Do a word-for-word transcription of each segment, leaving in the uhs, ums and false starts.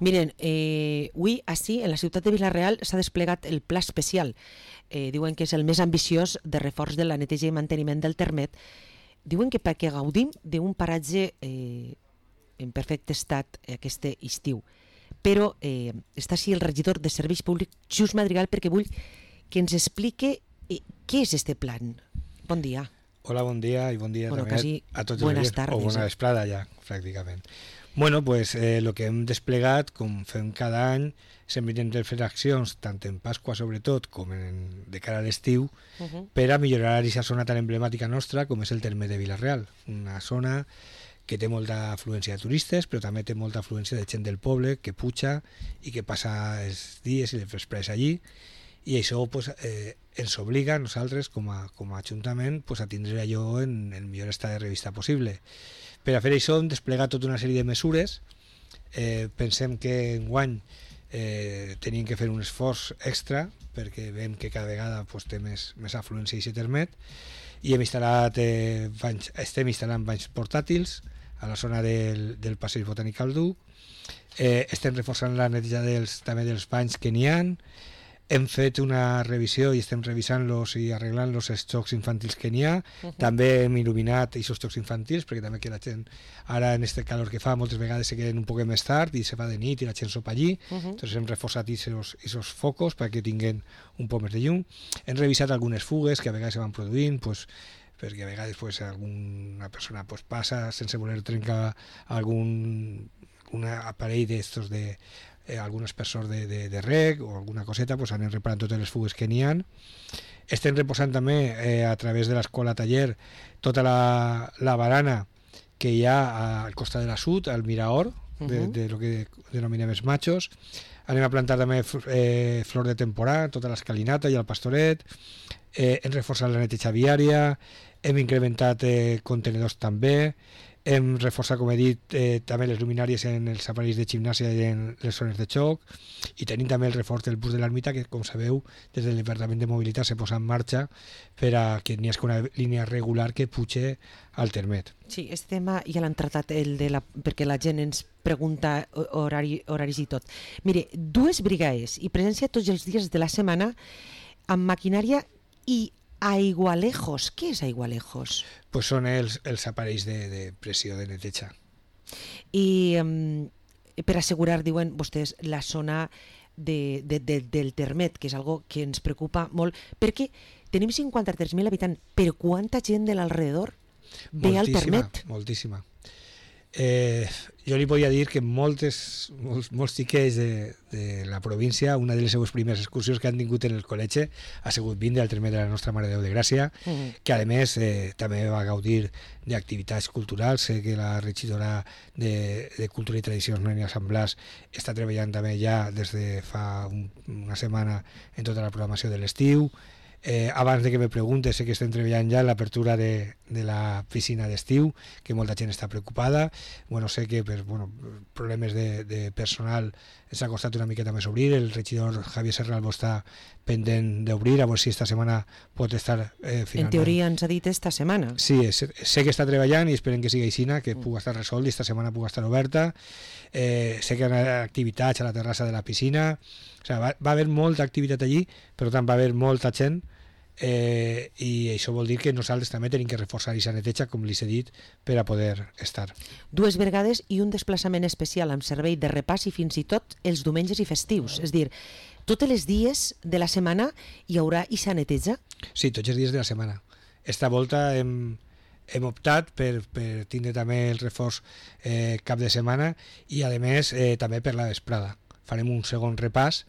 Miren, eh, avui, així, en la ciutat de Vila-real s'ha desplegat el pla especial. Eh, diuen que és el més ambiciós de reforç de la neteja i manteniment del Termet. Diuen que perquè gaudim d'un paratge eh, en perfecte estat aquest estiu. Però eh, està així el regidor de Serveis Públics, Just Madrigal, perquè vull que ens explique eh, què és este plan. Bon dia. Hola, bon dia i bon dia bueno, també a tots els dies, o bona vesprada ja, pràcticament. Bueno, pues eh, lo que hem desplegat, com fem cada any, sempre intentem fer accions, tant en Pasqua sobretot, com en, de cara a l'estiu, uh -huh. per a millorar aquesta zona tan emblemàtica nostra com és el Termet de Vila-real, una zona que té molta afluència de turistes, però també té molta afluència de gent del poble que puja i que passa els dies i les vesprades allí, i això pues, eh, ens obliga a nosaltres com a, com a Ajuntament pues, a tindre allò en el millor estat de revista possible. Per a fer això hem desplegat tota una sèrie de mesures. Eh, pensem que enguany eh, tenim que fer un esforç extra perquè veiem que cada vegada pues, té més, més afluència i se Termet, i hem instal·lat, eh, banys, estem instal·lant banys portàtils a la zona del, del passeig botànic al Duc. Eh, estem reforçant la neteja dels, també dels banys que n'hi ha. Hem fet una revisió i estem revisant-los i arreglant-los els jocs infantils que n'hi ha. Uh -huh. També hem il·luminat aquests jocs infantils, perquè també que la gent, ara en este calor que fa, moltes vegades se queden un poc més tard i se fa de nit i la gent sopa allí. Uh -huh. Entonces hem reforçat aquests focos perquè tinguin un poc més de llum. Hem revisat algunes fugues que a vegades se van produint, pues, perquè a vegades pues, alguna persona pues, passa sense voler trencar algun un aparell d'estos de Eh, algun aspersor de, de, de reg o alguna coseta, pues anem reparant totes les fugues que n'hi ha. Estem reposant també eh, a través de l'escola taller tota la, la barana que hi ha al costat de la sud, al Miraor, uh-huh. de, de lo que denominem els machos. Anem a plantar també eh, flor de temporada, tota l'escalinata i el pastoret. Eh, hem reforçat la neteja viària, hem incrementat eh, contenedors també. Hem reforçat, com he dit, eh, també les luminàries en els aparells de gimnàsia i en les zones de xoc, i tenim també el reforç del bus de l'ermita que, com sabeu, des del Departament de Mobilitat se posa en marxa per a que n'hi hagi una línia regular que puge al Termet. Sí, aquest tema ja l'han tratat el de la, perquè la gent ens pregunta horari, horaris i tot. Mire, dues brigades i presència tots els dies de la setmana amb maquinària i aigualejos. Què és aigualejos? Pues són els, els aparells de, de pressió de neteja. I um, per assegurar, diuen vostès, la zona de, de, de, del Termet, que és algo que ens preocupa molt, perquè tenim cinquanta-tres mil habitants, però quanta gent de l'alrededor ve al Termet? Moltíssima. Eh, jo li podia dir que moltes, molts, molts xiquets de, de la província, una de les seues primeres excursions que han tingut en el col·legi ha sigut vindre al Termet de la Nostra Mare de Déu de Gràcia, mm. que a més eh, també va gaudir d'activitats culturals. Sé que la regidora de, de Cultura i Tradicions, Noelia Samblàs, està treballant també ja des de fa un, una setmana en tota la programació de l'estiu. Eh, abans de que me preguntes, sé que estem treballant ja en l'apertura de, de la piscina d'estiu, que molta gent està preocupada. Bueno, sé que per bueno, problemes de, de personal s'ha costat una miqueta més obrir. El regidor Javier Serralbo està pendent d'obrir, a veure si esta setmana pot estar eh, finalment. En teoria ens ha dit esta setmana. Sí, sé que està treballant i esperem que sigui així, que pugui estar resolt i esta setmana pugui estar oberta. Eh, sé que hi ha activitats a la terrassa de la piscina. O sigui, va, va haver molta activitat allí, però tant va haver molta gent. Eh, i això vol dir que nosaltres també tenim que reforçar aquesta neteja, com li he dit, per a poder estar. Dues vegades i un desplaçament especial amb servei de repàs i fins i tot els diumenges i festius, és dir, tots els dies de la setmana hi haurà aquesta neteja? Sí, tots els dies de la setmana. Esta volta hem, hem optat per, per tindre també el reforç eh, cap de setmana i a més eh, també per la vesprada. Farem un segon repàs.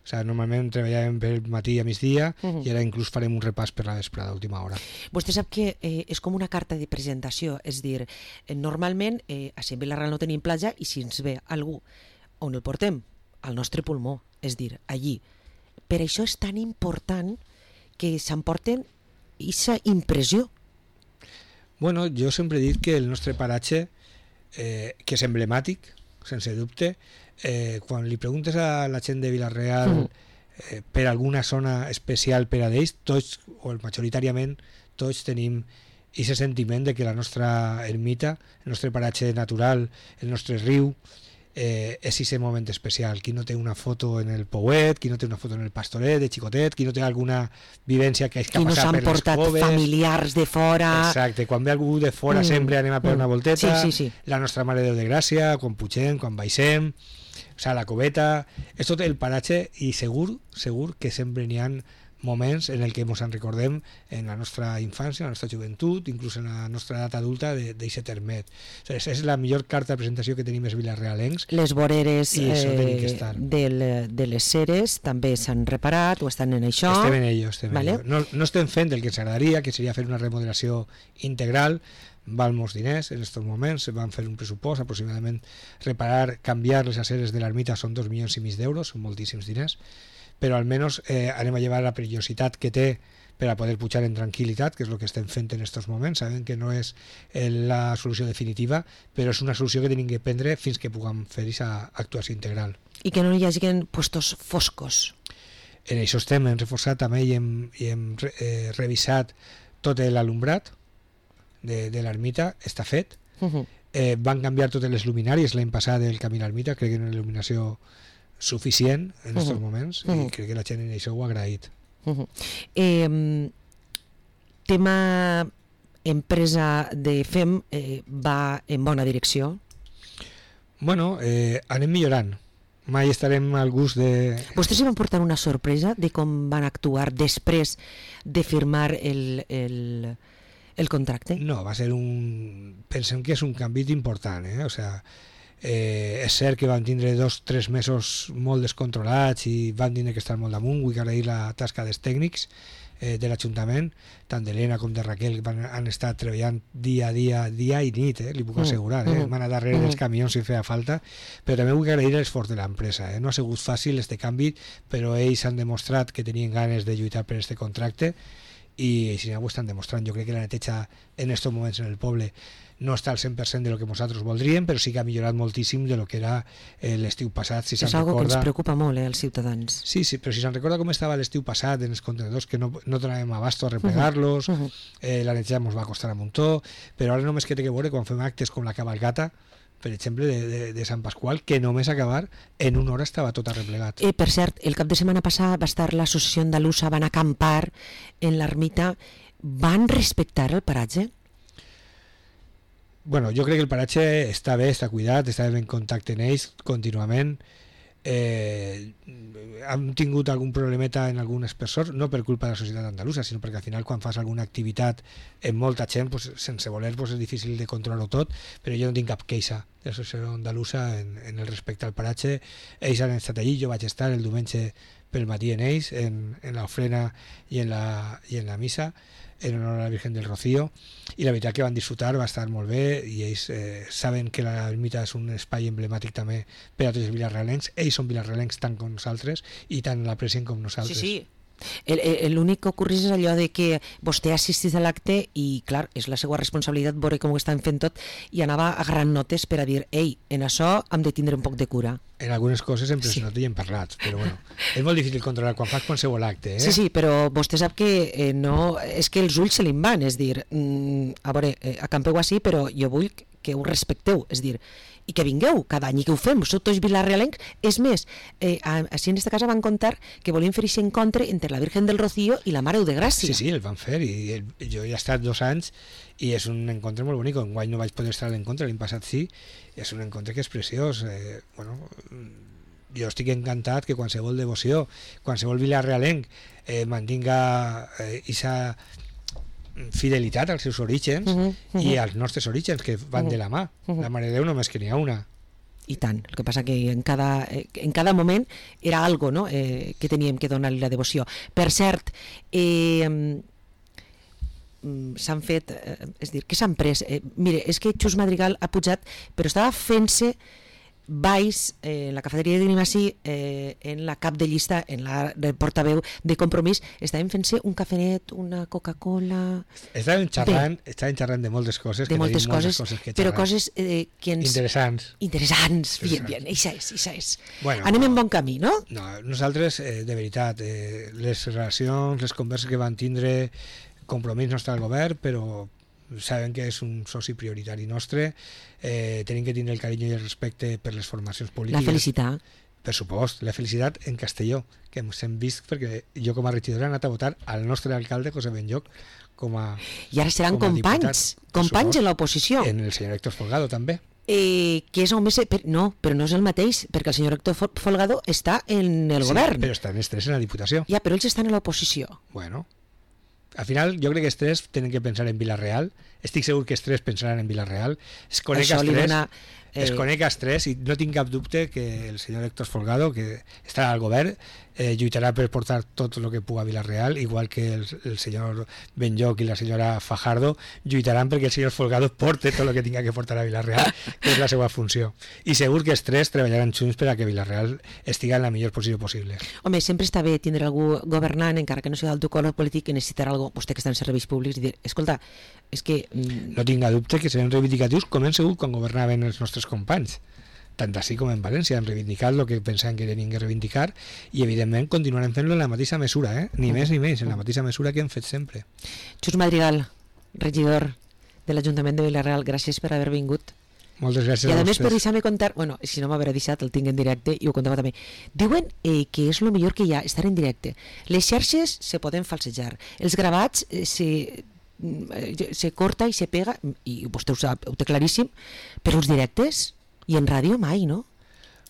O sigui, normalment treballàvem per matí a migdia uh-huh. i ara inclús farem un repàs per la vesprada a última hora. Vostè sap que eh, és com una carta de presentació, és dir, eh, normalment eh, a Vila-real no tenim platja i si ens ve algú on el portem? Al nostre pulmó, és dir, allí. Per això és tan important que s'emporten aquesta impressió. Bueno, jo sempre he dit que el nostre paratge, eh, que és emblemàtic, sense dubte, eh, quan li preguntes a la gent de Vila-real eh, per alguna zona especial per a d'ells, tots, o majoritàriament, tots tenim aquest sentiment de que la nostra ermita, el nostre paratge natural, el nostre riu, eh, és aquest moment especial. Qui no té una foto en el Pouet, qui no té una foto en el Pastoret de xicotet, qui no té alguna vivència que hagi qui no passat per les coves. Qui no s'han portat familiars de fora. Exacte, quan ve algú de fora mm. sempre anem a per mm. una volteta, sí, sí, sí. la nostra Mare de Déu de Gràcia, quan pugem, quan baixem, o sigui, la coveta, és tot el paratge i segur, segur que sempre n'hi ha moments en el que ens en recordem en la nostra infància, en la nostra joventut, inclús en la nostra edat adulta d'aquest termet. O sigui, és la millor carta de presentació que tenim els vilarealencs. Les voreres eh, del, de les ceres també s'han reparat o estan en això. Estem en ello, estem vale. en ello. No, no estem fent el que ens agradaria, que seria fer una remodelació integral, val molts diners en aquests moments, van fer un pressupost aproximadament, reparar, canviar les aceres de l'ermita són dos milions i mig d'euros, són moltíssims diners, però almenys eh, anem a llevar la perillositat que té per a poder pujar en tranquil·litat, que és el que estem fent en aquests moments. Sabem que no és eh, la solució definitiva, però és una solució que tenim que prendre fins que puguem fer aquesta actuació integral. I que no hi hagi puestos foscos. En això estem, hem reforçat també i hem, i hem eh, revisat tot l'alumbrat de, de l'ermita, està fet. Uh-huh. eh, van canviar totes les luminàries l'any passat del camí a l'ermita, crec que era una il·luminació suficient en aquests uh-huh. moments uh-huh. i crec que la gent en això ho ha agraït. Uh-huh. eh, tema empresa de F E M eh, va en bona direcció? Bueno, eh, anem millorant. Mai estarem al gust de... Vostès hi van portar una sorpresa de com van actuar després de firmar el, el, el contracte? No, va ser un... Pensem que és un canvi important, eh? O sea, Eh, és cert que van tindre dos o tres mesos molt descontrolats i van tindre que estar molt damunt. Vull agrair la tasca dels tècnics eh, de l'Ajuntament, tant d'Helena com de Raquel, que van, han estat treballant dia a dia, dia i nit, eh, li puc assegurar, eh, van a darrere dels camions si feia falta, però també vull agrair l'esforç de l'empresa. Eh. No ha sigut fàcil este canvi, però ells han demostrat que tenien ganes de lluitar per este contracte i si no ho estan demostrant. Jo crec que la neteja en aquests moments en el poble no està al cent per cent de lo que nosaltres voldríem, però sí que ha millorat moltíssim de lo que era eh, l'estiu passat. Si és algo recorda... que ens preocupa molt, eh, als ciutadans. Sí, sí, però si se'n recorda com estava l'estiu passat en els contenedors, que no, no donàvem abasto a replegar-los, uh -huh. uh -huh. eh, la neteja ens va costar un muntó, però ara només que té que veure quan fem actes com la cabalgata, per exemple, de, de, de Sant Pasqual, que només acabar en una hora estava tot arreplegat. Eh, per cert, el cap de setmana passat va estar l'associació andalusa, van acampar en l'ermita. Van respectar el paratge? Bueno, jo crec que el paratge està bé, està cuidat, està en contacte amb ells contínuament. Eh, hem tingut algun problemeta en alguns espessors, no per culpa de la societat andalusa, sinó perquè al final quan fas alguna activitat en molta gent, pues, sense voler pues, és difícil de controlar-ho tot, però jo no tinc cap queixa de la societat andalusa en, en el respecte al paratge. Ells han estat allí, jo vaig estar el diumenge pel matí en ells, en, en l'ofrena i en la, i en la missa, en honor a la Virgen del Rocío, i la veritat que van disfrutar, va estar molt bé, i ells eh, saben que l'ermita és un espai emblemàtic també per a tots els vilarrealencs. Ells són vilarrealencs tant com nosaltres i tant l'aprecien com nosaltres. Sí, sí. L'únic que ocorreix és allò de que vostè assistís a l'acte i, clar, és la seva responsabilitat veure com ho estan fent tot, i anava agarrant notes per a dir, ei, en això hem de tindre un poc de cura. En algunes coses sempre sí. no t'hi hem parlat, però bueno, és molt difícil controlar quan fas qualsevol acte. Eh? Sí, sí, però vostè sap que eh, no, és que els ulls se li van, és dir, mm, a veure, eh, acampeu així, però jo vull que ho respecteu, és dir, i que vingueu cada any i que ho fem, sou tots vilarrealencs. És més, eh, així en aquesta casa van contar que volien fer aquest encontre entre la Virgen del Rocío i la Mare de Gràcia. Sí, sí, el van fer, i el, jo he estat dos anys i és un encontre molt bonic. Enguany no vaig poder estar a l'encontre, l'any passat sí, és un encontre que és preciós. Eh, bueno, jo estic encantat que qualsevol devoció, qualsevol vilarrealenc eh, mantinga aquesta eh, fidelitat als seus orígens uh -huh, uh -huh. i als nostres orígens, que van uh -huh. de la mà. Uh -huh. La Mare de Déu només que n'hi ha una. I tant, el que passa que en cada, en cada moment era algo, no? eh, que teníem que donar-li la devoció. Per cert, eh, s'han fet, eh, és dir, què s'han pres? Eh, mire, és que Xus Madrigal ha pujat, però estava fent-se baix eh, en la cafeteria de Grimasí, eh, en la cap de llista, en la de portaveu de Compromís, estàvem fent-se un cafenet, una Coca-Cola... Estàvem xerrant, de, estàvem xerrant de moltes coses, de que moltes coses, coses que però coses eh, que ens... Interessants. Interessants, bien, bien, això és, això és. Bueno, anem en bon camí, no? No, nosaltres, eh, de veritat, eh, les relacions, les converses que van tindre, Compromís no està al govern, però saben que és un soci prioritari nostre, eh, tenim que tindre el carinyo i el respecte per les formacions polítiques. La felicitat. Per supost, la felicitat en Castelló, que ens hem vist perquè jo com a regidora he anat a votar al nostre alcalde José Benlloch com a I ara seran com a companys, diputat, companys supost, en l'oposició. En el senyor Héctor Folgado també. Eh, que és el més... Per, no, però no és el mateix, perquè el senyor Héctor Folgado està en el sí, govern. Però estan els tres en la Diputació. Ja, però ells estan en l'oposició. Bueno, al final jo crec que els tres tenen que pensar en Vila-real. Estic segur que els tres pensaran en Vila-real. Es conec els tres, dona, eh... es conec els tres i no tinc cap dubte que el senyor Héctor Folgado, que està al govern, eh, lluitarà per portar tot el que puga a Vila-real, igual que el, el senyor Benlloch i la senyora Fajardo lluitaran perquè el senyor Folgado porte tot el que tinga que portar a Vila-real, que és la seva funció. I segur que els tres treballaran junts per a que Vila-real estigui en la millor posició possible. Home, sempre està bé tindre algú governant, encara que no sigui del teu color polític, que necessitarà algú, vostè que està en serveis públics, i dir, escolta, és que... Mm... No tinc dubte que seran reivindicatius com hem segut quan governaven els nostres companys. Tant així com en València han reivindicat el que pensaven que tenien que reivindicar i evidentment continuarem fent-lo en la mateixa mesura, eh? ni més ni menys, en la mateixa mesura que hem fet sempre. Xus Madrigal, regidor de l'Ajuntament de Vila-real, gràcies per haver vingut. Moltes gràcies a, a a més vostès. per deixar-me contar, bueno, si no m'haver deixat el tinc en directe i ho contava també, diuen eh, que és el millor que hi ha, estar en directe. Les xarxes se poden falsejar, els gravats eh, se, se corta i se pega, i vostè ho sap, ho té claríssim, però els directes i en ràdio mai, no?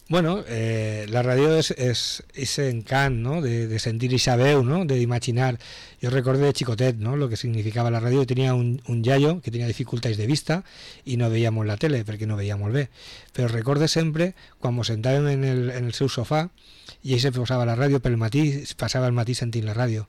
Bueno, eh, la ràdio és, és, és encant, no? de, de sentir ixa veu, no? d'imaginar. Jo recordo de xicotet, no? Lo que significava la ràdio. Tenia un, un iaio que tenia dificultats de vista i no veia molt la tele perquè no veia molt bé. Però recorde sempre quan ens sentàvem en el, en el seu sofà i ell se posava la ràdio pel matí, passava el matí sentint la ràdio.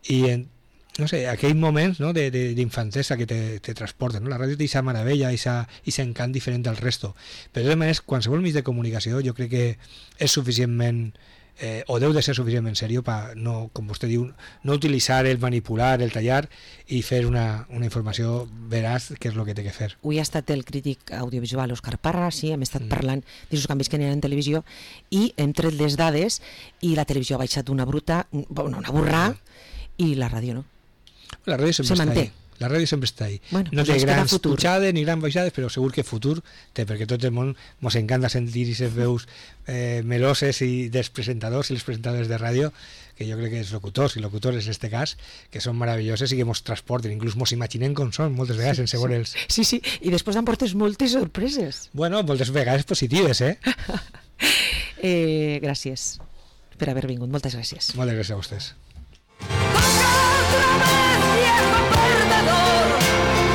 I en, no sé, aquells moments, no, d'infantesa que te, te transporten, no? La ràdio té aquesta meravella, aquest encant diferent del resto. Però de totes maneres, qualsevol mig de comunicació jo crec que és suficientment, eh, o deu de ser suficientment seriós per, no, com vostè diu, no utilitzar el manipular, el tallar i fer una, una informació veraç, que és el que té que fer. Avui ha estat el crític audiovisual Òscar Parra, sí, hem estat mm. parlant dels canvis que n'hi ha en televisió i hem tret les dades i la televisió ha baixat una bruta, una, una burrà mm. i la ràdio no. La ràdio sempre està ahí. La ràdio sempre està ahí. Bueno, no pues té grans pujades ni grans baixades, però segur que futur té, perquè tot el món ens encanta sentir aquestes veus eh, meloses i dels presentadors i les presentadores de ràdio, que jo crec que els locutors i locutores en aquest cas, que són meravelloses i que ens transporten, inclús ens imaginem com són moltes vegades sí, sense veure'ls. Sí, sí, i després emportes moltes sorpreses. Bueno, moltes vegades positives, eh? eh gràcies per haver vingut, moltes gràcies. Moltes gràcies a vostès. Yeah.